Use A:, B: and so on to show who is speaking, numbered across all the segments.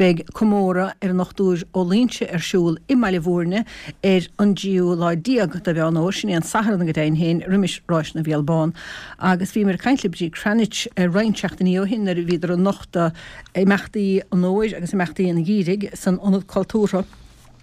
A: Beidh comóradh ar an nDochtúir Ó Loingsigh ar siúl i mBaile Bhúirne ar an dtríú lá déag de Mheán Fhómhair, sin é an Satharn go deimhin féin, roimis Ráis na bhFial Bán. Agus bhíomar ag caint le Bríd Cranitch roinnt seachtainí ó shin nuair a bhíodar ag nochtadh imeachtaí an fhómhair agus imeachtaí an gheimhridh san Ionad Cultúrtha.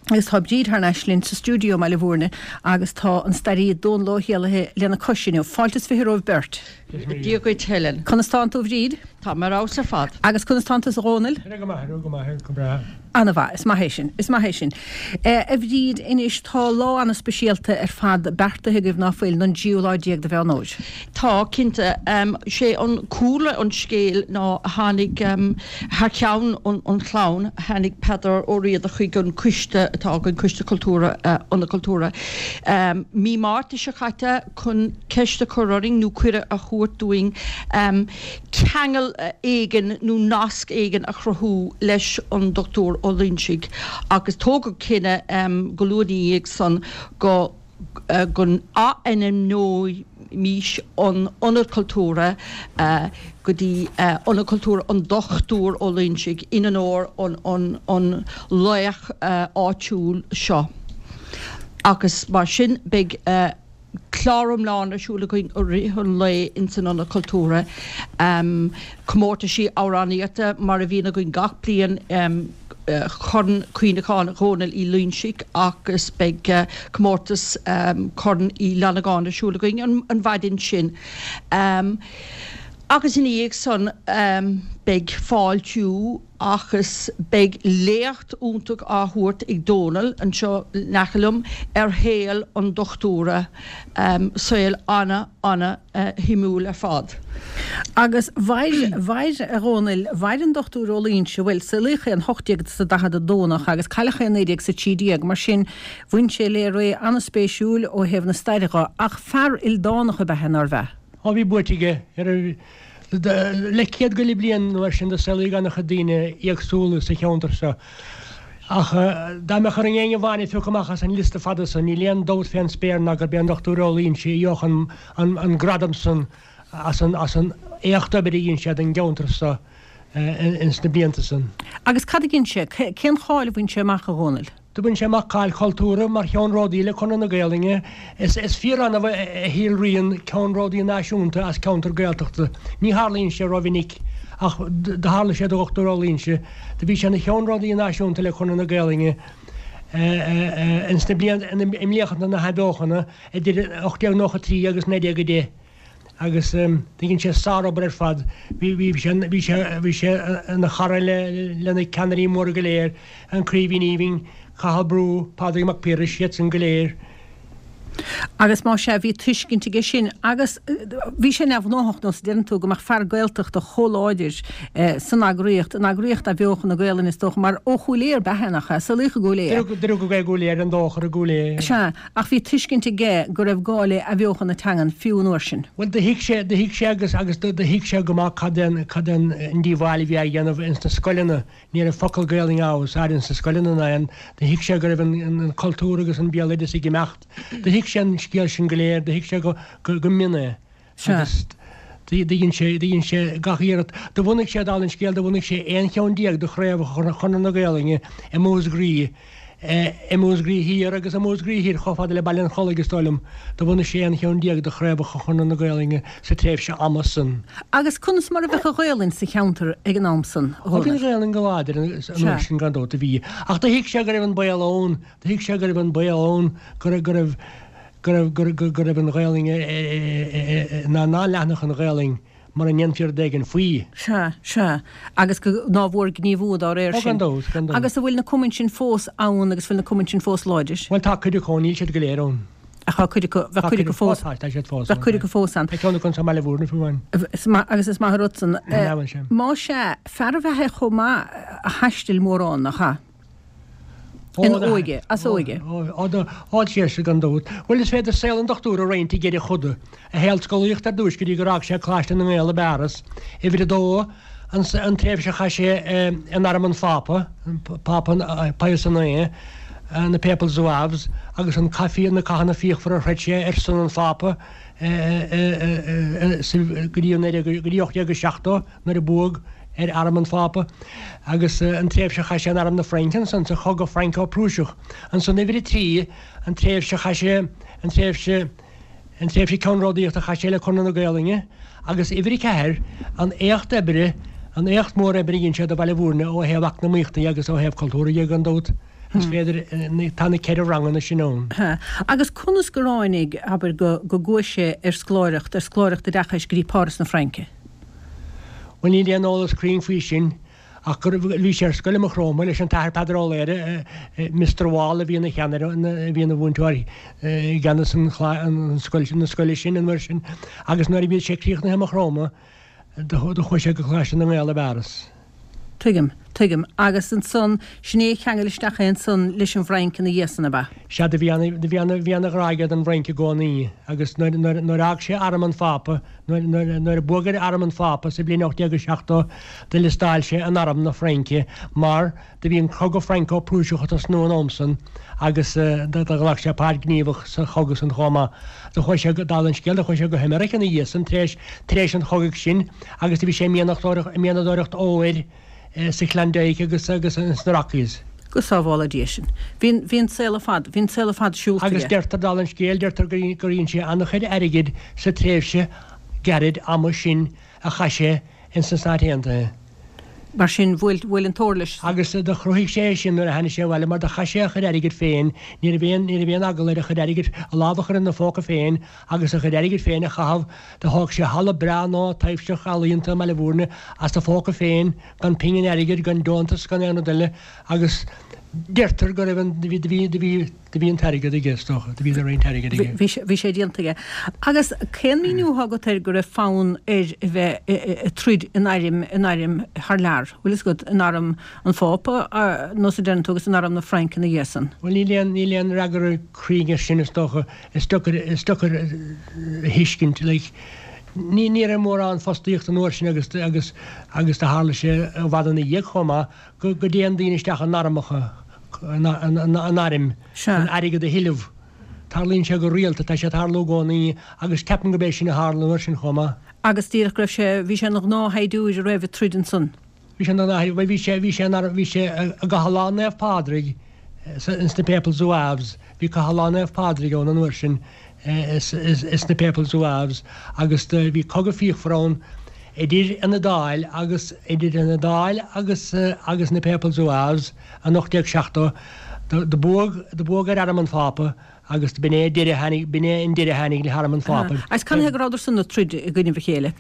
A: Agus tá Bríd thar n-ais linn sa stiúideo i mBaile Bhúirne agus tá an staraí Dónal Ó hÉallaithe lena cois inniu. Fáilte is 20 romhaibh beirt.
B: Dia dhuit Helen.
A: Conas tánn tú a Bhríd?
B: Tá mé ar fheabhas ar fad.
A: Agus conas tánn tusa a Dhónaill?
C: Go maith, go maith, go breá.
A: Ana-mhaith, is maith é sin, is maith é sin. A Bhríd, anois tá lá ana-speisialta ar fad beartaithe agaibh ná fuil, don dtríú lá déag de Mheán Fhómhair?
B: Tá, cinnte. Sé an cúlra an scéil ná tháinig, thar ceann an chlann, tháinig Peadar Ó Riada chuig an coiste atá againn, Coiste Cultúrtha, Ionad Cultúrtha, mí Márta seo caite chun ceist a chur orainn nó cuireadh a thabhairt dúinn ceangal éigin nó nasc éigin a chruthú leis an Dr Ó Loingsigh agus tógadh cinneadh go luath ina dhiaidh san go go n-athainmneoimís an Ionad Cultúrtha go dtí Ionad Cultúrtha an Dochtúir Ó Loingsigh in onóir an laoch áitiúil seo agus mar sin beidh clár iomlán ar siúl againn i rith an lae ins an Ionad Cultúrtha, comórtaisí amhránaíochta mar a bhíonn againn gach bliain, Corn Cuimhneacháin Dhónaill Uí Loingsigh agus beidh comórtas Corn Uí Fhlannagáin ar siúl againn an mhaidin sin. Agus ina dhiaidh san beidh fáiltiú agus beidh léacht iontach á thabhairt ag Dónal anseo in aice liom ar shaol an dochtúra, saol ana, ana shuimiúil ar fad.
A: Agus mhair, mhair, a Dhónaill, mhair an Dochtúir Ó Loingsigh, bhuel, saolaíodh é in 1842 nach ea, agus cailleadh é in 1913, mar sin bhain sé le ré an-spéisiúil ó thaobh na staire dho, ach fear ildánach ab ea é, nárbh ea?
C: Ó bhí buaite aige ar, le céad go leith bliain nó mar sin do saolaíodh an-chuid daoine éagsúla sa cheantar seo. Ach dá mbeadh orainn éinne amháin a phiocadh amach as an liosta fada san, níl aon dabht fén spéir ná gurb é an Dochtúir Ó Loingsigh a gheobhadh an gradam san as an éacht oibre a dhein sé don gceantar seo ins na blianta san.
A: Agus cad a dhein sé? Cén cháil a bhain sé amach, a Dhónaill?
C: Do bhain sé amach cáil chultúrtha mar cheannródaí le Conradh na Gaelainne. Is fíor-annamh a shíolraíonn ceannródaí náisiúnta as ceantar Gaeltachta. Ní tharlaíonn sé rómhinic ach do tharla sé do Dhochtúir Ó Loingsigh. Do bhí sé ina cheannródaí náisiúnta le Conradh na Gaelainne ins na blianta, i mblianta na hAthbheochana idir 1893 agus 1910. agus do dhein sé sárobair ar fad. Bhí sé bhí sé bhí sé ina chara le le na ceannairí móra go léir, an Craoibhín Aoibhinn, Cathal Brugha, Pádraig Mac Piarais, iad san go léir.
A: Agus más ea, bhí tuiscint aige sin agus bhí sé neamhghnáthach, nós a deireann tú, go mbeadh fear Gaeltachta chomh láidir san eagraíocht, in eagraíocht athbheochan na Gaelainne is dócha, mar ó Chúil Aodha ab ea é, nach ea? Saolaíodh i gCúil
C: Aodha. Do rugadh é i gCúil Aodha, ar an Dóchar i gCúil Aodha.
A: Sea. Ach bhí tuiscint aige go raibh gá le athbheochan na teangan fiú an uair sin.
C: Bhuel, do thuig sé, do thuig sé agus, agus do thuig sé go maith cad é an, cad é an díobháil a bhí á dhéanamh ins na scoileanna. Ní raibh focal Gaelainne á úsáid ins na scoileanna ná aon, do thuig sé go raibh an, an cultúr agus an béaloideas ag imeacht. Do thuig sé an scéal sin go léir, do thuig sé go, go, go mion é. Agus do dhein sé, do dhein sé gach iarracht. Do bhunaigh sé, dála an scéil, do bhunaigh sé 11 cheann de chraobhacha Chonradh na Gaelainne i Músgraí, i Músgraí Thiar agus i Músgraí Thoir chomh fada le Baile an Chollaigh, is dóigh liom. Do bhunaigh sé 11 cheann de chraobhacha Chonradh na Gaelainne sa tréimhse ama san.
A: Agus conas mar a bheadh an Ghaelainn sa cheantar ag an am san, a
C: Dhónaill? Bhí an Ghaelainn go láidir an uair sin gan dabht, do bhí. Ach do thuig sé go raibh an baol ann, do thuig sé go raibh an baol ann go raibh, go raibh, go raibh, go raibh, go raibh an Ghaelainn, ná ná leathnódh an Ghaelainn mura ndéanfaí rud éigin faoi.
A: Sea, sea. Agus go, nár mhór gníomhú dá réir
C: Ó, gan
A: sin.
C: dabht, gan dabht.
A: Agus an bhfuil na cumainn sin fós ann agus bhfuil na cumainn sin fós láidir?
C: Bhuel, tá cuid acu ann, níl siad go léir ann.
A: Ach tá cuid acu, bheadh
C: Tá
A: cuid
C: cuid
A: acu fós,
C: tá, tá siad fós
A: bheadh
C: ann,
A: cuid
C: tá.
A: acu fós ann.
C: Tá ceann acu anso i mBaile Bhúirne fiú amháin.
A: Is maith, agus is maith an rud san.
C: An bhfuil sé?
A: Más ea, fear ab ea é chomh maith a thaistil mórán, nach ea? Ina óige, as óige.
C: Ó, sea, gan dabht. Bhuel, is féidir saol an dochtúra a roinnt i gceithre choda. A shaol scolaíochta ar dtúis go dtí gur fhág sé Coláiste na nGael i bPáras. Uimhir a dó, an tréimhse a chaith sé in arm an Phápa, Pápa Pius IX, na Papal Zouaves, agus an cath, na cathanna fíochmhara a throid sé ar son an Phápa go dtí 1870 nuair a buadh. ar Arm an Phápa agus an tréimhse a chaith sé in Arm na Fraince ansan sa Chogadh Franco-Prúiseach. Ansan uimhir a 3, an tréimhse a chaith sé, an tréimhse, an tréimhse ceannródaíochta a chaith sé le Conradh na Gaolainne agus uimhir a 4, an éacht oibre, an éacht mór oibre a dhein sé do Bhaile Bhúirne ó thaobh eacnamaíochta dhe agus ó thaobh cultúrtha dhe gan dabht. Is féidir, tá na ceithre ranganna sin ann.
A: Agus conas gur tháinig, abair, go, go gcuaigh sé ar scoláireacht, ar scoláireacht oideachais go dtí Páras na Fraince?
C: Bhuel, níl aon eolas cruinn faoi sin, ach gur, bhí sé ar scoil i Maigh Chromtha leis an tAthair Peadar Ó Laoghaire, Mister Wall a bhí ina cheannaire, a bhí ina mhúinteoir i gceannas an, an scoil, na scoile sin an uair sin, agus nuair a bhí sé críochnaithe i Maigh Chromtha, do chuaigh sé go Coláiste na nGael i bPáras.
A: Tuigim, tuigim. Agus ansan, sin é a cheangail isteach é ansan leis an bhFrainc ina dhiaidh san, ab ea?
C: Sea, do bhí ana, do bhí ana, bhí ana ghrá aige don bhFrainc i gcónaí. Agus nuair, nuair, nuair a fhág sé arm an Phápa, nuair, nuair, nuair a buadh ar arm an Phápa sa bhliain 1870, do liostáil sé in arm na Fraince mar do bhí an cogadh Franco-Prúiseach ag tosnú an am san agus do, do ghlac sé páirt gníomhach sa chogadh san chomh maith. Do chuaigh sé go, dála an scéil, do chuaigh sé go hAmerica ina dhiaidh san, tar éis, tar éis an chogaidh sin. Agus do bhí sé ag mianadóireacht óir sa Klondike agus agus sna Rockies.
A: Go sábhála Dia sinn. Bhí an, bhí an saol ar fad, bhí an saol ar fad siúlta
C: aige. Agus deirtear, dála an scéil, deirtear gur, gur dhein sé an-chuid airgid sa tréimhse gairid ama sin a chaith sé ins na Stáit Aontaithe.
A: Mar sin, bhuail, bhuail an t-ór leis.
C: Agus do chruthaigh sé é sin nuair a tháinig sé abhaile mar do chaith sé a chuid airgid féin, ní raibh aon, ní raibh aon eagla air a chuid airgid, a lámh a chur ina phóca féin agus a chuid airgid féin a chaitheamh. Do thóg sé halla breá nua taibhseach ealaíonta i mBaile Bhúirne as a phóca féin, gan pingin airgid, gan deontas, gan aon rud eile agus deirtear go raibh an, do bhí, do bhí, do bhí, do bhí an t-airgead aige, is dócha, do bhí roinnt airgid aige.
A: Bhí sé, bhí sé déanta aige. Agus cén míniú atá agat air go raibh fonn air a bheith ag troid in airm, in airm thar lear, bhfuil fhios agat, in arm an Phápa, nós a deireann tú, agus in arm na Fraince ina dhiaidh san?
C: Bhuel, níl aon, níl aon fhreagra cruinn air sin, is dócha. Is deacair, is deacair a thuiscint, like, ní, ní raibh mórán fostaíochta an uair sin agus, agus, agus do tharla sé i bhfad ina dhiaidh chomh maith go, go dtéann daoine isteach in armacha, in, in, in airm, chun airgead a thuilleamh. Tarlaíonn sé go rialta, tá sé ag tarlú i gcónaí agus ceapaim gurb é sin a tharla an uair sin chomh maith.
A: Agus díreach go raibh sé, bhí sé ina ghnáthshaighdiúir a raibh ag troid ansan.
C: Bhí sé ina ghnáth, bhuel bhí sé, bhí sé ina, bhí sé i gCathair Lá Naomh Pádraig ins na Papal Zouaves, bhí Cathair Lá Naomh Pádraig ann an uair sin ins na Papal Zouaves agus do, bhí cogadh fíochmhar ann idir an Iodáil agus, idir an Iodáil agus, agus na Papal Zouaves in 1870. Do, do buadh, do buadh ar arm an Phápa Agus b'in é deireadh a tháinig, b'in é an deireadh a tháinig le harm an Phápa.
A: Agus canathaobh go rabhadar san ag troid i gcoinnibh a chéile?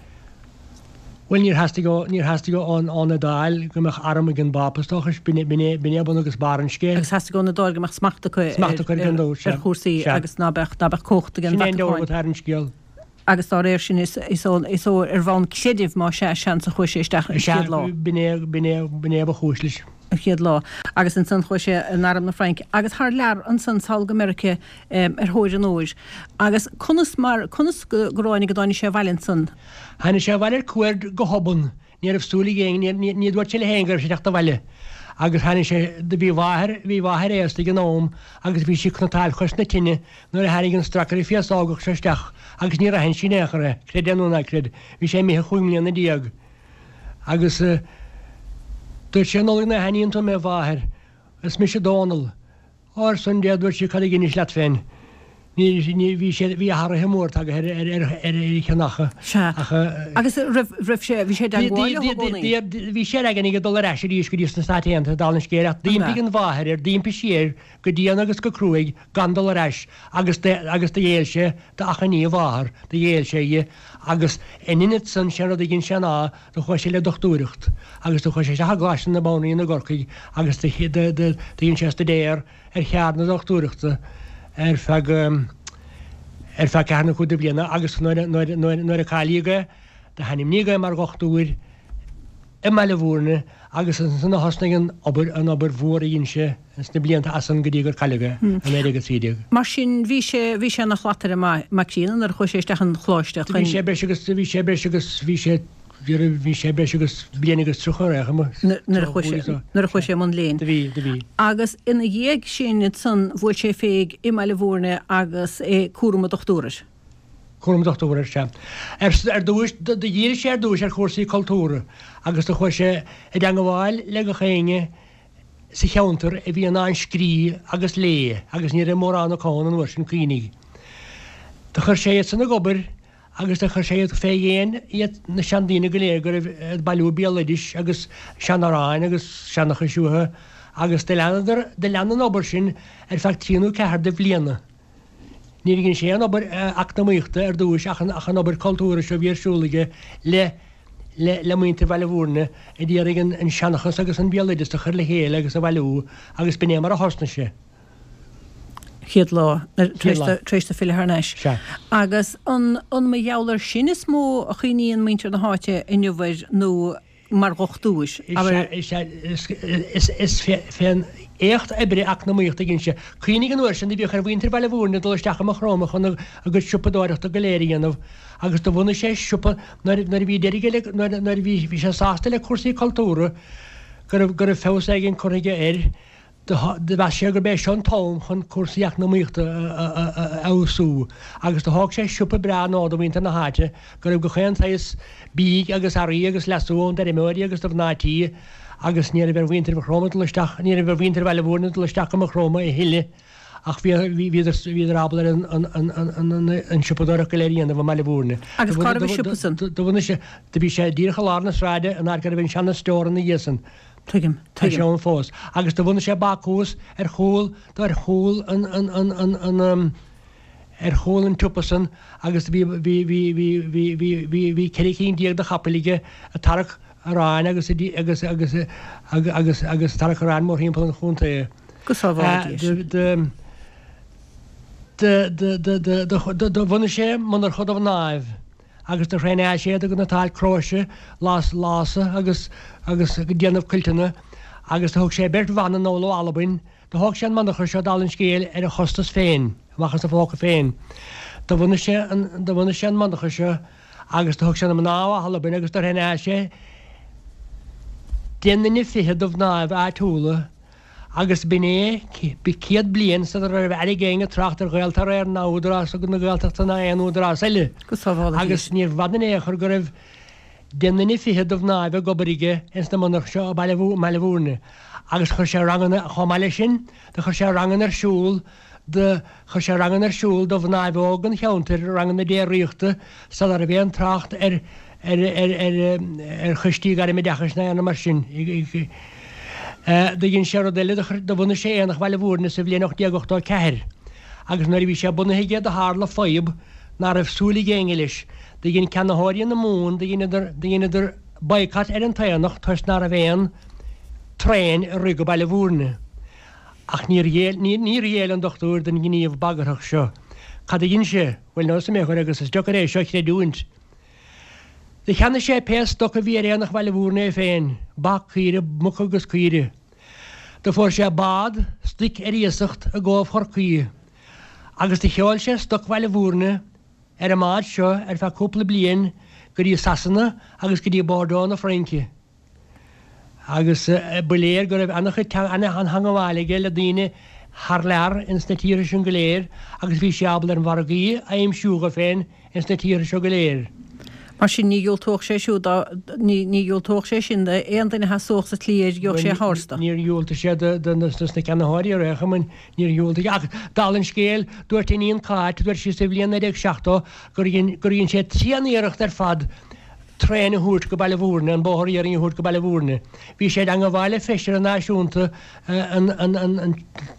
C: Bhuel, níor theastaigh ó, níor theastaigh ón, ón Iodáil go mbeadh arm ag an bPápa, is dócha, b'in é, b'in é, b'in é bun agus barr an scéil.
A: Agus theastaigh ón Iodáil go mbeadh smacht acu ar,
C: Smacht acu ar, gan dabht, sea,
A: ar chúrsaí
C: sea.
A: agus ná beadh, ná beadh cumhacht ag an
C: Sin é an
A: Vatacáin.
C: dealramh atá ar an scéal.
A: Agus dá réir sin, is, is ó, is ó, ar bhonn creidimh, más ea, seans a chuaigh sé isteach an
C: Sea,
A: chéad lá.
C: b'in é, b'in é, b'in é ba chúis leis.
A: an chéad lá. Agus ansan chuaigh sé in arm na Fraince agus thar lear ansan sall go Meirice ar thóir an óir. Agus conas mar, conas go, go ráinig go dtáinig sé abhaile ansan?
C: Tháinig sé abhaile ar cuaird go hobann. Ní raibh súil ag éinne, ní, ní dúirt sé le héinne go raibh sé ag teacht abhaile. Agus tháinig sé, do bhí a mháthair, bhí a mháthair aosta ag an am agus bhí sí ag cniotáil cois na tine nuair a tháinig an stracaire féasógach seo isteach agus níor aithin sí in aon chor é, creid é nó ná creid. Bhí sé imithe chúig mbliana déag. Agus dúirt sé, an amhlaidh nach aithníonn tú mé, a mháthair? Is mise Dónall. Ó, ar son Dé, a dúirt sí, cad a dheinis leat féin? Ní, ní, bhí sé, bhí athruithe mór tagtha ar, ar, ar, ar a cheann ach,
A: Sea.
C: ach.
A: Agus raibh, raibh sé, bhí sé i dteagmháil leo i
C: gcónaí? Bhí sé ar aigne aige dul ar ais arís go dtí sna Stáit Aontaithe, dála an scéil, ach d'impigh an mháthair air, d'impigh sí air go dian agus go cruaidh gan dul ar ais agus do, agus do ghéill sé d'achainí a mháthar, do ghéill sé dhi agus in ionad san, sé an rud a dhein sé ná do chuaigh sé le dochtúireacht agus do chuaigh sé isteach i gColáiste na Banríona i gCorcaigh agus do, do, do, do dhein sé staidéar ar cheard na dochtúireachta ar feadh, ar feadh ceathair nó cúig de bhliana agus nuair a, nuair, nuair, nuair a cáilíodh é, do hainmníodh é mar dhochtúir i mBaile Bhúirne agus ansan a thosnaigh an obair, an obair mhór a dhein sé sna blianta as san go dtí gur cailleadh é i 1913.
A: Mar sin bhí sé, bhí sé ina shlataire maith, maith críonna nuair a chuaigh sé isteach an choláiste
C: chun. Bhí sé breis agus, bhí sé breis agus, bhí sé, bhí sé breis agus bliain agus 30 ar aon chuma.
A: Nuair a chuaigh sé, nuair a chuaigh sé i mbun léinn.
C: Do bhí, do bhí.
A: Agus ina dhiaidh sin ansan bhuail sé féig i mBaile Bhúirne agus é cúram an dochtúra air.
C: Cúram dochtúra, ar seisean. Ar dtúis, do dhírigh sé ar dtúis ar chúrsaí cultúrtha agus do chuaigh sé i dteangabháil le gach éinne sa cheantar a bhí in ann scrí agus lé agus ní raibh mórán acu ann an uair sin, cuimhnigh. Do chuir sé iad san ag obair agus do chuir sé iad fé dhéin iad na seandaoine go léir go raibh ag bailiú béaloidis agus seanamhráin agus seanchais uathu agus do leanadar, do lean an obair sin ar feadh trí nó ceathair de bhliana. Níor dhein sé aon obair eacnamaíochta ar dtúis ach an obair cultúrtha seo a bhí ar siúl aige le le muintir Bhaile Bhúirne a d'iarraidh an seanchas agus an béaloideas a chur le chéile agus a bhailiú agus b'in é mar a thosnaigh sé.
A: Chéad lá, tar éis dó filleadh thar n-ais.
C: Sea.
A: Agus an mar gheall air sin is mó a chuimhníonn muintir na háite inniu air nó mar dhochtúir.
C: Is ea, is fén éacht oibre eacnamaíochta a dhein sé. Cuimhnigh an uair sin do bhíodh ar mhuintir Bhaile Bhúirne dul isteach i Maigh Chromtha chun a gcuid siopadóireachta go léir a dhéanamh agus do bhunaigh sé siopa nuair a bhí deiridh aige le nuair a bhí sé sásta le cúrsaí cultúrtha go raibh go raibh feabhas éigin curtha aige air. Do mheas sé gurb é seo an t-am chun cúrsaí eacnamaíochta a fheabhsú agus do thóg sé siopa breá nua do mhuintir na háite go raibh gach aon tsaghas bídh agus earraí agus leasú ann d'fheirmeoirí agus do mhná tí agus ní raibh ar mhuintir Mhaigh Chromtha dul isteach, ní raibh ar mhuintir Bhaile Bhúirne dul isteach go Maigh Chromtha a thuilleadh ach bhíodar ábalta ar an siopadóireacht go léir a dhéanamh i mBaile Bhúirne.
A: Agus cá raibh an siopa san?
C: Do bhunaigh sé, do bhí sé díreach i lár na sráide in áit go raibh an seana-stiór ina dhiaidh san.
A: Tuigim,
C: Tá sé ann fós. Agus do bhunaigh sé bácús ar chúl, ar chúl an, an, an, an, an, ar chúl an tsiopa san agus bhí, bhí, bhí, bhí, bhí, bhí, bhí, bhí 14 cinn de chapaill aige ag tarrac aráin agus, agus, agus, agus, agus tarrac aráin mórthimpeall an chontae.
A: Go sábhála Dia
C: sinn. Do, do, do, do, do, do, do, do bhunaigh sé monarcha do mhnáibh. agus do thraenáil sé iad ag cniotáil cróise, lása agus agus ag déanamh cuilteanna, agus do thug sé beirt bhan anall ó Albain, do thóg sé an monarcha seo dála an scéil ar a chostas féin, amach as a phóca féin. Do bhunaigh sé an do bhunaigh sé an monarcha seo agus do thug sé na mná ó Albain agus do thraenáil sé deich nduine fichead de mhnáibh áitiúla, Agus b'in é, 100 bliain sula raibh aire ag éinne trácht ar Ghaeltarra ná Údarás na Gaeltachta ná aon údarás eile.
A: Go sábhála
C: Dia Agus níorbh fhada in aon chor go raibh deich nduine fichead de mhnáibh ag obair aige ins na monarcha seo i mBaile Bhúirne. Agus chuir sé ranganna, chomh maith leis sin, do chuir sé ranganna ar siúl do chuir sé ranganna ar siúl do mhnáibh óga an cheantair, ranganna déardaíochta, sula raibh aon trácht ar ar ar ar ar choistí gairmoideachais ná aon rud mar sin. Do dhein sé rud eile, do chuir do bhunaigh sé Aonach Bhaile Bhúirne sa bhliain 1884 agus nuair a bhí sé bunaithe aige do tharla fadhb ná raibh súil ag éinne leis. Do dhein ceannaitheoirí na mún, do dheineadar do dheineadar boycott ar an t-aonach toisc ná raibh aon traein ag rith go Baile Bhúirne. Ach níor ghéill, níor ghéill an dochtúir don ghníomh bagarthach seo. Cad a dhein sé? Bhuel, n'fheadar mé chuir agus is deocair é seo a chreidiúint. Do cheannaigh sé pé stoc a bhí ar Aonach Bhaile Bhúirne é féin, ba, caoire, muca agus caoire. Do fuair sé bád stoic ar iasacht i gCóbh Chorcaí agus do sheol sé stoc Bhaile Bhúirne ar an mbád seo ar feadh cúpla bliain go dtí Sasana agus go dtí Bordeaux na Fraince. Agus ba léir go raibh an-chuid an-theangabháil aige le daoine thar lear ins na tíortha sin go léir agus bhí sé ábalta ar mhargaí a aimsiú dho féin ins na tíortha seo go léir.
A: Mar sin ní dhiúltódh sé siúd dá, ní dhiúltódh sé sin d'aon duine a sheasódh sa tslí air, gheobhadh sé a thabhairt
C: dó. Níor dhiúltaigh sé do na ceannaitheoirí ar aon chuma, níor dhiúltaigh. Ach dála an scéil, dúirt a iníon Cáit, dúirt sí sa bhliain 1970 gur dhein, gur dhein sé tréan-iarracht ar fad traein a thabhairt go Baile Bhúirne, an bóthar iarainn a thabhairt go Baile Bhúirne. Bhí sé i dteangabháil le feisire náisiúnta an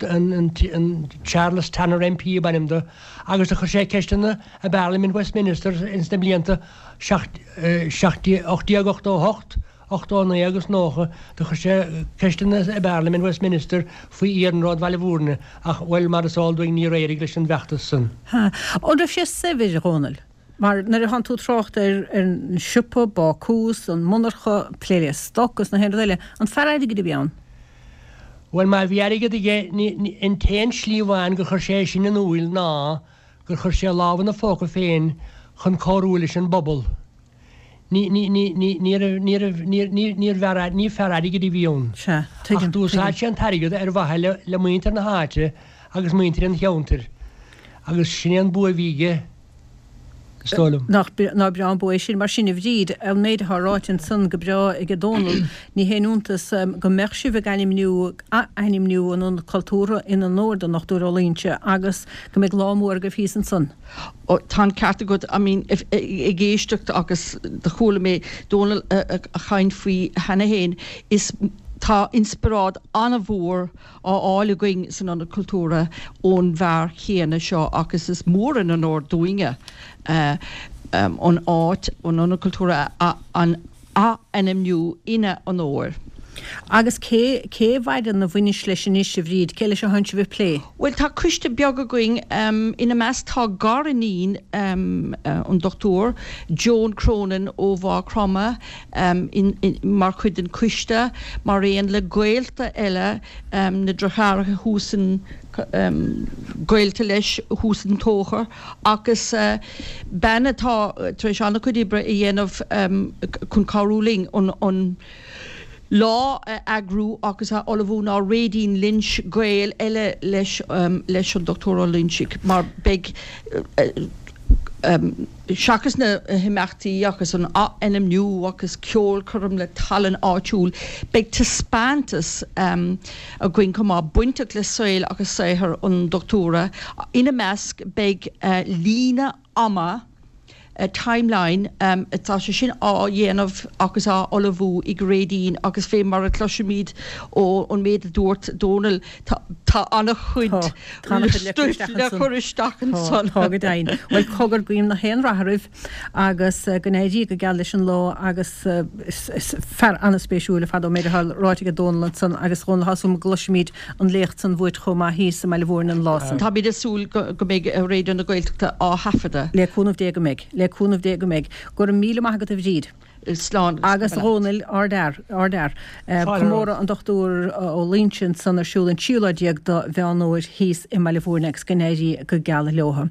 C: an Charles Tanner MP ab ainm do agus do chuir sé ceisteanna i bParlaimint Westminster ins na blianta 1888, 89 agus 90. Do chuir sé ceisteanna i bParlaimint Westminster faoi iarnród Bhaile Bhúirne ach, bhuel, mar is eol dúinn níor éirigh leis an bhfeachtas san.
A: An raibh sé saibhir, a Dhónaill? Mar nuair atánn tú ag trácht ar an siopa, bácús, an monarcha, plé le stoc agus na haon rud eile, an fear airgid a bhí ann?
C: Bhuel, má bhí airgead aige, ní, an t-aon slí amháin gur chuir sé é sin in úil ná gur chuir sé a lámh ina phóca féin chun cabhrú leis an bpobal. Ní, ní, ní, ní, ní raibh, ní raibh, ní, ní, níor bhfear, ní fear airgid a bhí ann.
A: Sea, tuigim,
C: Ach d'úsáid
A: tuigim.
C: sé an t-airgead ar mhaithe le, le muintir na háite agus muintir an cheantair. Agus sin é an bua a bhí aige. Is dóigh liom.
A: Nach breá an bua é sin. Mar sin, a Bhríd, an méid atá ráite ansan go breá ag Dónal, ní haon iontas go mbeadh sibh ag ainmniú, ath-ainmniú an Ionad Cultúrtha in onóir don Dr. Ó Loingsigh agus go mbeidh lá mór agaibh thíos ansan.
B: Ó, tá an ceart agat. I mean, ag éisteacht agus do chuala mé Dónal a chaint faoi cheana fhéin, is tá inspioráid an-mhór á fháil againn san Ionad Cultúrtha ón bhfear chéanna seo agus is mór an onóir dúinne an áit, an Ionad Cultúrtha a ath-ainmniú ina onóir.
A: Agus cé, cé a mhaireann a bhainis leis anois, a Bhríd? Cé leis a thánn sibh ag plé?
B: Bhuel, tá coiste beag againn. Ina measc tá gariníon an Dochtúir, Joan Cronin ó Mhaigh Chromtha, mar chuid den choiste, mar aon le gaolta eile, na deartháireacha thuas in, gaolta leis thuas in Tóchar, agus bean atá tar éis an-chuid oibre a dhéanamh chun cabhrú linn an lá a eagrú agus a ullmhú ná Réidín Lynch, gaol eile leis leis an Dr. Ó Loingsigh, mar beidh. Seachas na himeachtaí agus an ath-ainmniú agus ceolchoirm le tallann áitiúil, beidh taispeántas againn chomh maith bainteach le saol agus saothar an Dochtúra. Ina measc beidh líne ama, timeline, tá sé sin á dhéanamh agus á ullmhú ag Réidín agus fé mar a chloisimid ón méid a dúirt Dónal, Tá an-chuid stuif le cur isteach ansan.
A: Tá, go deimhin. Bhuel, cogar, guím nach aon rath oraibh agus go n-éirí go geal leis an lá agus is fear an-spéisiúil ar fad ón méid atá ráite ag Dónal ansan agus Dhónal tá súil agam go gcloisfimid an léacht san uait chomh maith thíos i mBaile Mhúirne an lá san.
B: Táimid ag súil go mbeidh Raidió na Gaeltachta á thaifeadadh.
A: Le cúnamh Dé go mbeidh. Le cúnamh Dé go mbeidh. Go raibh míle maith agat a Bhríd.
B: Slán
A: agus a Dhónaill, ardfhear, ardfhear. Comóradh an Dr Ó Loingsigh ansan ar siúl an tríú lá déag do Mheán Fhómhair thíos i mBaile Mhúirne agus go n-éirí go geal leotha.